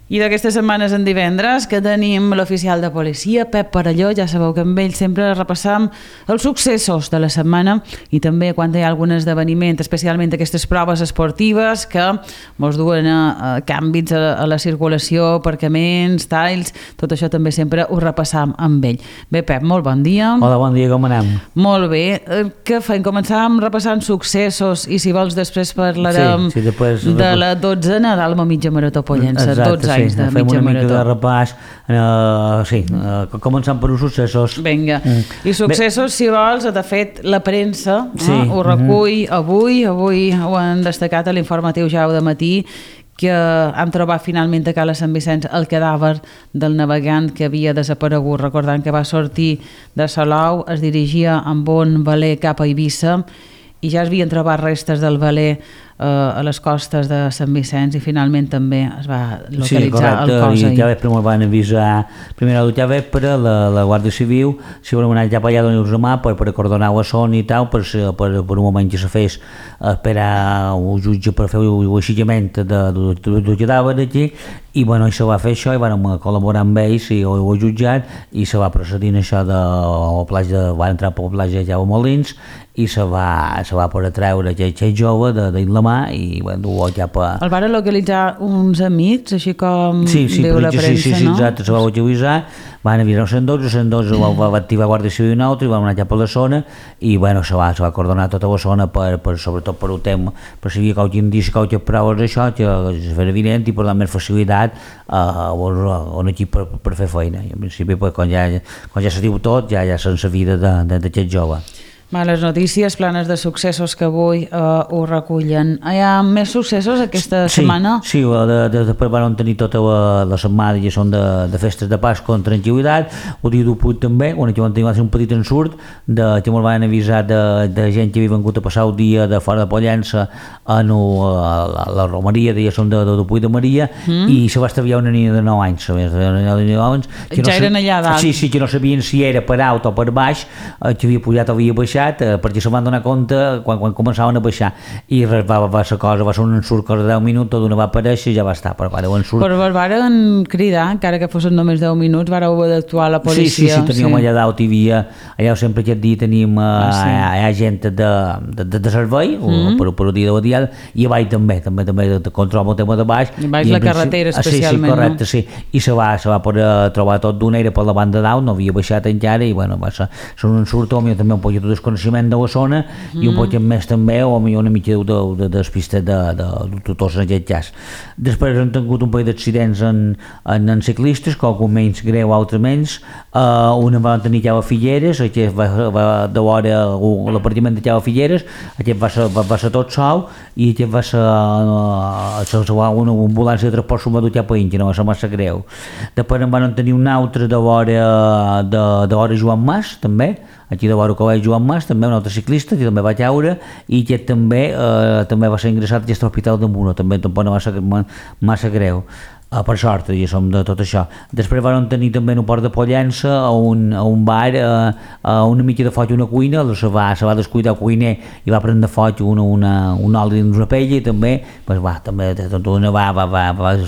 I d'aquestes setmanes en divendres que tenim l'oficial de policia, Pep Parelló. Ja sabeu que amb ell sempre repassam els successos de la setmana i també quan hi ha algun esdeveniment, especialment aquestes proves esportives que ens duen a canvis a la circulació, aparcaments, talls, tot això també sempre ho repassam amb ell. Bé, Pep, molt bon dia. Hola, bon dia, com anem? Molt bé. Què fem? Començàvem repassant successos i si vols després parlarem de la 12ena d'Alma Mitja Marató Pollença. 12 anys de fem mitja una mica marató. de repàs, començant per uns successos. Vinga, i successos, si vols, de fet, la premsa ho recull avui ho han destacat a l'informatiu ja de matí, que han trobat finalment a Cala Sant Vicenç el cadàver del navegant que havia desaparegut, recordant que va sortir de Salou, es dirigia amb un veler cap a Eivissa i ja es havien trobat restes del veler a les costes de Sant Vicenç i finalment també es va localitzar el cos ahir. Ja vespre me'l van avisar, primera ja vespre, la Guàrdia Civil, si volem anar cap allà donar-nos la mà per acordonar la zona i tal, per un moment que se fes esperar un jutge per fer l'aixillament del cadàver aquí, i bueno, se va fer això i vam col·laborar amb ells i ho jutjat i se va procedir en això va entrar per la platja de Molins i se va poder treure aquell jove de la mà i dur-ho cap a... El van localitzar uns amics, així com diu la premsa, no? Sí, exacte, se va utilitzar, van avisar el 112 va activar Guàrdia Civil i un altre i vam anar cap a la zona i bueno, se va acordonar tota la zona sobretot per un tema, per si hi havia qualque indici, qualque proves d'això, que es feia evident i per donar més facilitat a un equip per fer feina. I en principi, quan ja se diu tot, ja sense vida d'aquest jove. Les notícies planes de successos que avui ho recullen. Hi ha més successos aquesta setmana? Sí, després van tenir tota la setmana i són de festes de Pasqua amb tranquil·litat. El dia d'1 també, on van tenir un petit ensurt que me'l van avisar de gent que havia vengut a passar el dia de fora de Pollença a la romeria, diguéssim, de Puig de Maria, i se va estalviar una nina de 9 anys. Ja eren allà dalt? Sí, que no sabien si era per alt o per baix, que havia pujat o havia baixat, perquè se van donar compte quan començaven a baixar i va ser un ensurt que de 10 minuts d'una va aparèixer i ja va estar, però varen cridar, encara que fossin només 10 minuts, vareu haver d'actuar la policia. Sí, teníem allà dalt, hi havia allà sempre aquest dia teníem gent de servei per un dia de diada i a baix també de control el tema de baix i baix la carretera especialment. Sí, correcte, sí, i se va poder trobar tot d'una, era per la banda dalt, no havia baixat encara i bueno, va ser un ensurt també un poc de coneixement de la zona i un poc més també o una mica de despistes de tutors en aquest cas. Després han tingut un parell d'accidents en ciclistes, qualcun menys greu, altre menys. Una van tenir Cava Figueres, aquest va de l'hora l'apartiment de Cava Figueres, aquest va ser tot sol i aquest va ser una ambulància de transport sumador cap a Inca, no va ser massa greu. Després en van tenir un altre de l'hora Joan Mas, també, aquí de vora col·legi Joan Mas, també un altre ciclista que també va caure i que també va ser ingressat a aquest hospital de Muro, també tampoc no va ser massa greu. Per sort, i som de tot això. Després van tenir també en un port de Pollença a un bar una mica de foc i una cuina, se va descuidar el cuiner i va prendre foc un oli dins una pella i també va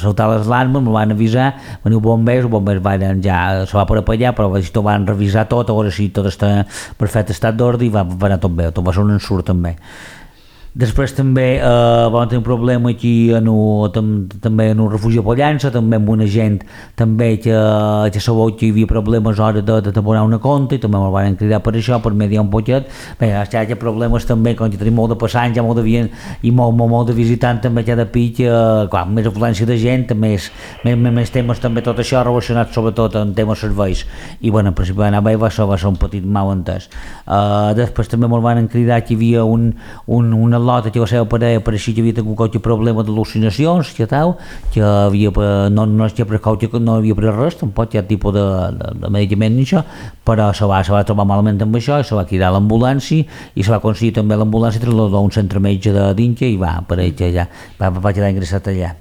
saltar les larmes, me'l van avisar, van dir els bombers ja se va per apallar, però van revisar tot, a veure si tot està perfecte estat d'ordre i va anar tot bé, tot va ser un ensurt també. Després també vam tenir un problema aquí també en un refugi a Pollença, també amb una gent també que sabeu que hi havia problemes a l'hora de abonar una compte i també me'l van cridar per això, per mediar un poquet. Bé, hi ha problemes també, quan tenim molt de passants, molt de vianants i molt de visitants també cada pic, clar, més afluència de gent, més temes també tot això relacionat sobretot amb temes serveis i bueno, en principi va anar bé, va ser un petit malentès. Després també me'l van cridar que hi havia una lota que va ser a parella per així que havia tingut qualque problema d'al·lucinacions que tal, que no havia pres res, tampoc hi ha tipus de medicament ni això, però se va trobar malament amb això i se va cridar l'ambulància i se va aconseguir també l'ambulància traslladar a un centre metge d'Inca i va quedar ingressat allà.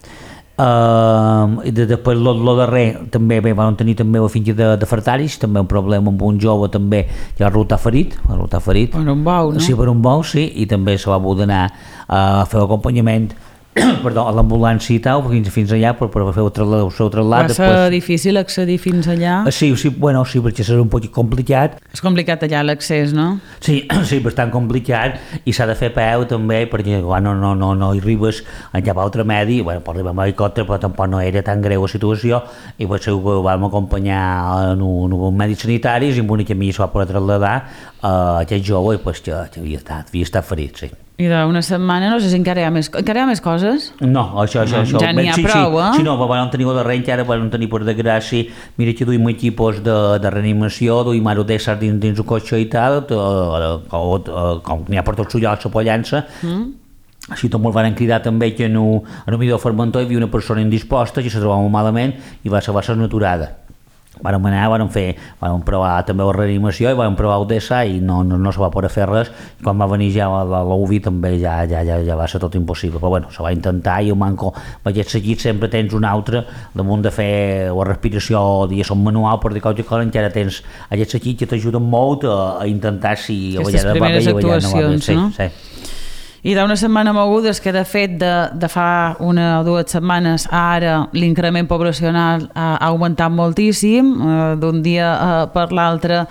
I després el darrer també van tenir també la finca de Fartaris, també un problema amb un jove també que va resultar ferit per un bou, no? Sí, per un bou, sí, i també se va voler anar a fer l'acompanyament perdó, a l'ambulància i tal, fins allà per fer el trasllat. Va ser difícil accedir fins allà? Sí, perquè serà un poc complicat. És complicat allà l'accés, no? Sí, bastant complicat, i s'ha de fer a peu també, perquè no hi arribes en cap altre medi. Bueno, per arribar amb helicòpter, però tampoc no era tan greu la situació, i per això vam acompanyar en uns mèdics sanitaris, i amb una camilla es va poder traslladar a aquest jove, i pues, que havia estat ferit, sí. I d'una setmana, no sé si encara hi ha més coses? No, això. Ja n'hi ha prou, eh? Sí, no, vam tenir el darrer, encara vam tenir per desgràcia, mira que duim equipos de reanimació, duim ara d'ésser dins un cotxe i tal, com n'hi ha per tots llocs a Pollença. Així tot molt van cridar també que en un millor Formentor hi havia una persona indisposta que se trobava malament i va ser aturada. Vàrem provar també la reanimació i vàrem provar el DSA i no se va poder fer res. Quan va venir ja la UVI també ja va ser tot impossible, però bueno, se va intentar, i el manco d'aquest seguit sempre tens un altre damunt de fer la respiració diguéssim manual, per dir qualsevol cosa, encara tens aquest seguit que t'ajuden molt a intentar si a vegades va bé i a vegades no va bé. No? Sí. I d'una setmana moguda és que de fet de fa 1 o 2 setmanes ara l'increment poblacional ha augmentat moltíssim, d'un dia per l'altre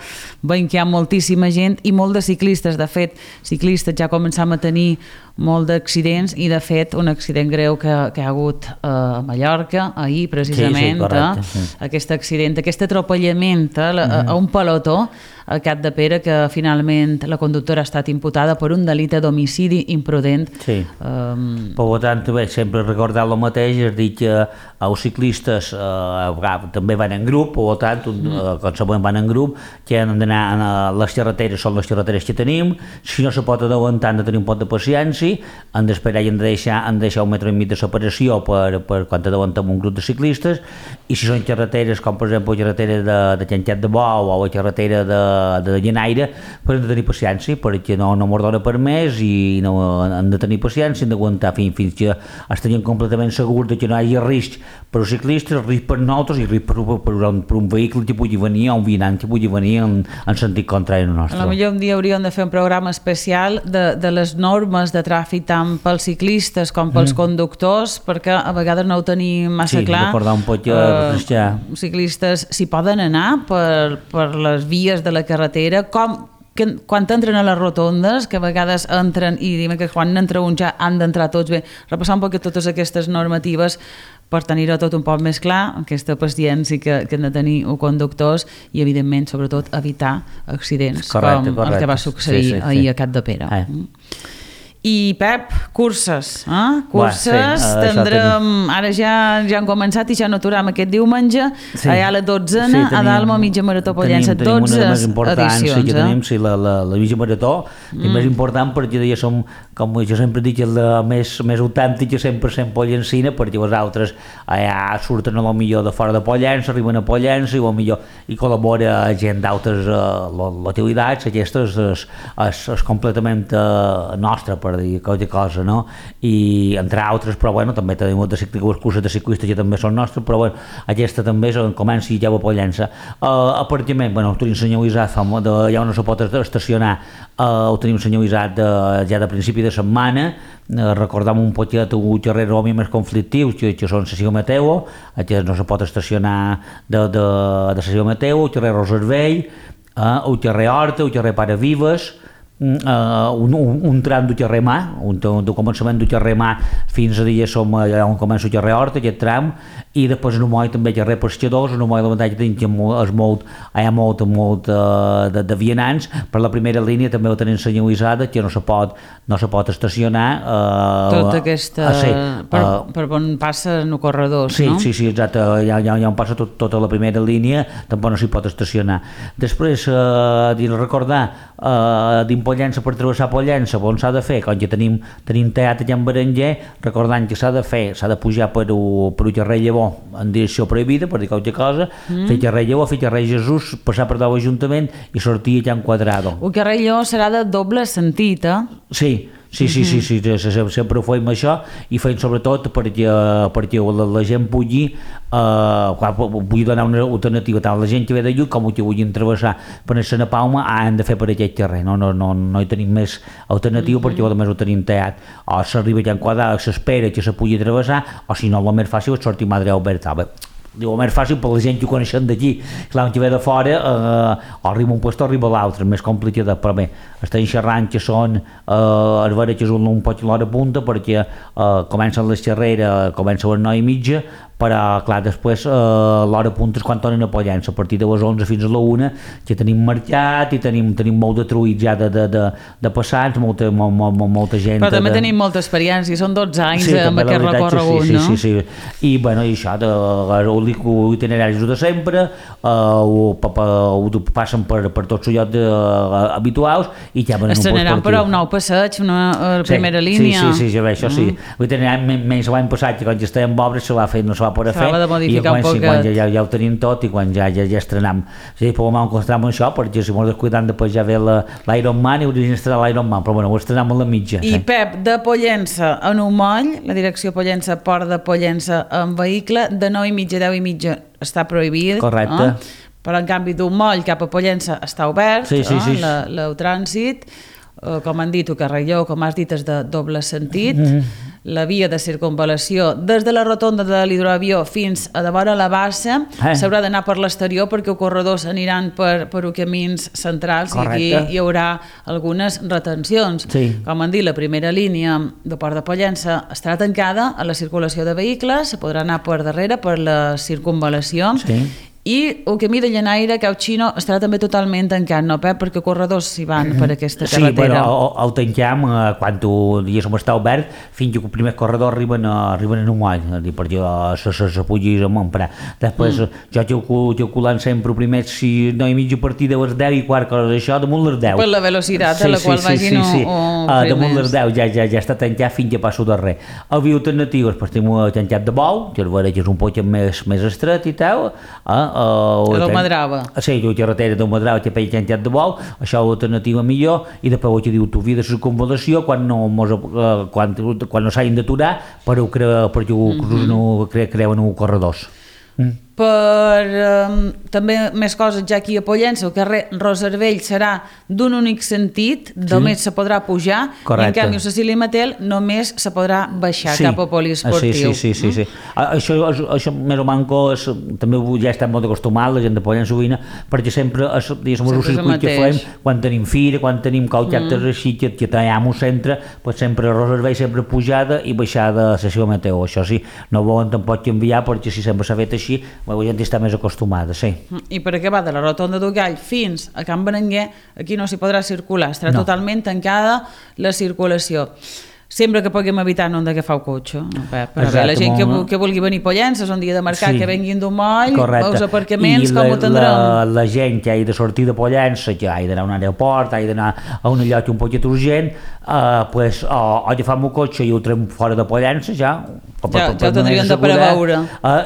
veiem que hi ha moltíssima gent i molt de ciclistes. De fet, ciclistes ja començam a tenir molt d'accidents, i de fet un accident greu que hi ha hagut a Mallorca ahir precisament, sí, correcte, aquest accident, aquest atropellament a un pelotó a Cap de Pere, que finalment la conductora ha estat imputada per un delicte d'homicidi imprudent. Sí, per tant també sempre recordar el mateix, és dir que els ciclistes també van en grup, per tant qualsevol van en grup, que han d'anar a les carreteres, són les carreteres que tenim, si no se pot adelantar han de tenir un poc de paciència, han d'esperar i han de deixar 1,5 metres de separació per quan adellantem un grup de ciclistes, i si són carreteres com per exemple la carretera de Llencat de Bou o la carretera de Llenaire, però hem de tenir paciència perquè no mos dona per més, i han de tenir paciència, han d'aguantar fins que estarien completament segurs que no hi hagi risc per als ciclistes, risc per nosaltres i risc per un vehicle que pugui venir o un vianant que pugui venir en sentit contrari al nostre. Potser un dia hauríem de fer un programa especial de les normes de tràfic tant pels ciclistes com pels conductors, perquè a vegades no ho tenim massa clar. Sí, recordar un poc ciclistes s'hi poden anar per les vies de la carretera, quan entren a les rotondes, que a vegades entren i diem que quan entra un ja han d'entrar tots bé, repassar un poc totes aquestes normatives per tenir-ho tot un poc més clar, aquesta paciència que han de tenir els conductors, i evidentment sobretot evitar accidents com el que va succeir ahir a Cap de Pere. I Pep, curses, curses, tindrem, ara ja han començat i ja no aturam aquest diumenge, allà a la 12ª, a Dalma, mitja marató Pollença, 12 edicions. Sí, la mitja marató, és més important perquè ja som, com jo sempre dic, la més autèntica 100% pollencina, perquè els altres allà surten a lo millor de fora de Pollença, arriben a Pollença i millor hi col·labora gent d'altres localitats, aquesta és completament nostra, per dir qualque cosa, no? I entre altres, però bueno, també tenim les curses de ciclistes que també són nostres, però bueno, aquesta també és on comença i ja va a Pollença. Aparcament, bueno, ho tenim senyalitzat, ja no se pot estacionar, ho tenim senyalitzat ja de principi de setmana. Recordem un poquet un carrer més conflictius que són Cecil Mateu, que no se pot estacionar de Cecil Mateu, el carrer Roservell, el carrer Horta, el carrer Pare Vives, un tram del carrer Mà, del començament del carrer Mà fins a dia som allà on comença el carrer Horta, aquest tram, i després en un moll també carrer Pescadors, en un moll l'avantatge que hi ha molt de vianants. Per la primera línia també ho tenen senyalitzada, que no se pot estacionar tota aquesta per on passen els corredors, no? Sí, exacte, ja on passa tota la primera línia, tampoc no s'hi pot estacionar. Després, recordar Pollença, per travessar Pollença, on s'ha de fer, quan ja tenim teatre allà en Berenguer, recordant que s'ha de pujar per el carrer Llavor en direcció prohibida, per dir qualque cosa, fer carrer Llavor, fer carrer Jesús, passar per l'Ajuntament i sortir allà en Quadrado. El carrer Llavor serà de doble sentit, Sí, Sí, sempre ho fèiem això i feim sobretot perquè la gent pugui donar una alternativa tant a la gent que ve de lluny com que vulguin travessar per a Palma han de fer per aquest carrer, no hi tenim més alternativa perquè a més ho tenim tallat, o s'arriba ja en quadra, s'espera que se pugui travessar o si no el més fàcil és sortir Madre Alberta. Diu, el més fàcil per la gent que ho coneixen d'aquí, clar, que ve de fora o arriba un lloc o arriba l'altre, més complicat, però bé, estem xerrant que són a veure que és un poc l'hora punta perquè comencen les xerreres, comença a les 9:30, però clar, després l'hora punta és quan tornen a Pollença, a partir de les 11 fins a la 1 que tenim mercat i tenim molt de truïts ja de passats, molta gent. Però també tenim molta experiència, són 12 anys amb aquest recorregut, no? Sí. I bueno, i això, l'itineraris de sempre, ho passen per tots els llocs habituals i ja venen un poc estrenaran però un nou passeig, una primera línia. Sí, això sí. L'itinerari menys l'any passat, que quan ja estàvem obres se va fer, no se va poder fer, i quan ja ho tenim tot i quan ja estrenam. Sí, però vam concentrar-me en això, perquè si ens descuidem després ja ve l'Ironman i hauríem d'estrenar l'Ironman, però bueno, ho estrenem a la mitja. I Pep, de Pollença a Numoll, la direcció Pollença, Port de Pollença en vehicle, de 9:30 a 10:30 està prohibit. Correcte. Però en canvi d'un moll cap a Pollença està obert, el trànsit, com han dit, o carrelló, com has dit, és de doble sentit. La via de circunvalació des de la rotonda de l'hidroavió fins a de vora la bassa s'haurà d'anar per l'exterior perquè els corredors aniran per camins centrals. Correcte. I aquí hi haurà algunes retencions. Com han dit, la primera línia de Port de Pollença estarà tancada a la circulació de vehicles, se podrà anar per darrere per la circunvalació. I el camí de Llanaire, Cauchino, estarà també totalment tancat, no, Pep? Perquè corredors s'hi van per aquesta carretera. Sí, però el tanquem quan diguéssim està obert fins que els primers corredors arriben a un moll, perquè se pugui emprar. Després jo calculant sempre primers si 9:30 a partir de les 10:15, coses d'això, damunt les 10. Per la velocitat a la qual vagin damunt les 10 ja està tancat fins que passo darrer. El via alternatives, doncs tenim tancat de bou, que és un poc més estret i tal, del Madrava. Sí, la carretera del Madrava que feia quantitat de vol, això és l'alternativa millor, i després el que diu tu via de circunvalació quan no s'hagin d'aturar perquè no creuen un corredors. També més coses ja aquí a Pollença, el carrer Roservell serà d'un únic sentit, només se podrà pujar, i en canvi a Cecília Matel només se podrà baixar cap a poliesportiu. Sí. Això més o manco també ja estem molt acostumats, la gent de Pollença Ovina, perquè sempre és el circuit que fem quan tenim fira, quan tenim qualque actes així que tenim un centre, sempre Roservell sempre pujada i baixada a Cecília Matel. Això sí, no volen tampoc canviar perquè si sempre s'ha fet així la gent està més acostumada, sí. I per acabar de la rotonda d'Ugall fins a Can Berenguer, aquí no s'hi podrà circular, estarà totalment tancada la circulació. Sempre que puguem evitar no hem d'agafar el cotxe, Pep. La gent que vulgui venir a Pollença, és un dia de mercat, que venguin d'un moll, els aparcaments, com ho tindrem? La gent que hagi de sortir de Pollença, que hagi d'anar a un aeroport, hagi d'anar a un lloc un poquet urgent, o agafem el cotxe i ho trem fora de Pollença, ja ho tindrien de preveure.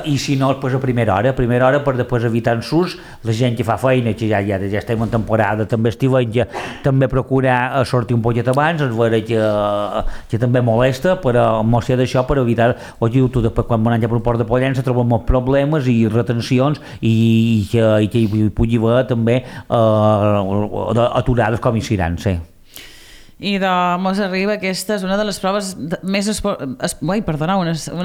I si no, a primera hora per després evitar ensurts, la gent que fa feina, que ja estem en temporada també estiuenca, també procura sortir un poquet abans, és vera que també molesta, però mos sé d'això per evitar, tu després quan anem per un port de Pollença trobem molts problemes i retencions i que hi pugui haver també aturades com hi seran, sí. I doncs arriba aquesta és una de les proves una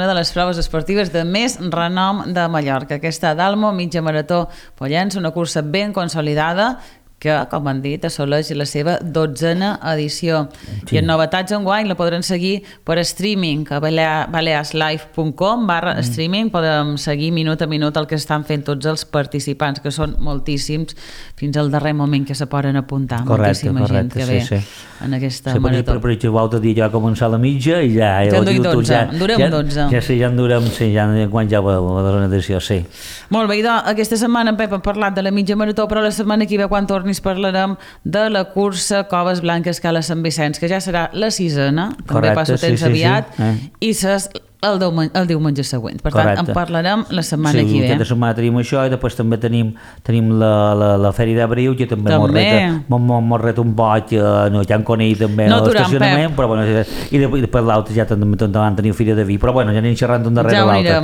de les proves esportives de més renom de Mallorca, aquesta Dalmo mitja marató Pollença, una cursa ben consolidada que, com han dit, assoleix la seva 12a edició. I en novetats enguany la podran seguir per streaming a balearslive.com/streaming. Podem seguir minut a minut el que estan fent tots els participants, que són moltíssims, fins al darrer moment que se poden apuntar. Moltíssima gent que ve en aquesta marató. Per exemple, l'altre dia ja va començar a la mitja i ja... Ja en duim 12, en durem 12. Ja en durem, quan ja va la darrera edició, sí. Molt bé, i aquesta setmana en Pep ha parlat de la mitja marató, però la setmana que ve, quan torni, parlarem de la cursa Coves Blanques Cala Sant Vicenç, que ja serà la 6a, també passo temps aviat, i el diumenge següent. Per tant, en parlarem la setmana que ve. Sí, aquesta setmana tenim això i després també tenim la Fèria d'Abril, que també mos ret un boig, no, ja en coneix també l'estacionament, però bueno, i després l'altre ja també van tenir Fira de Vi, però bueno, ja anem xerrant d'un darrere l'altre. Ja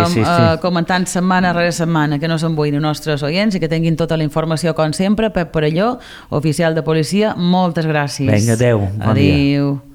ho anirem comentant setmana rere setmana, que no s'embuïn els nostres oients i que tinguin tota la informació com sempre. Pep Perelló, oficial de policia, moltes gràcies. Vinga, adeu. Adéu.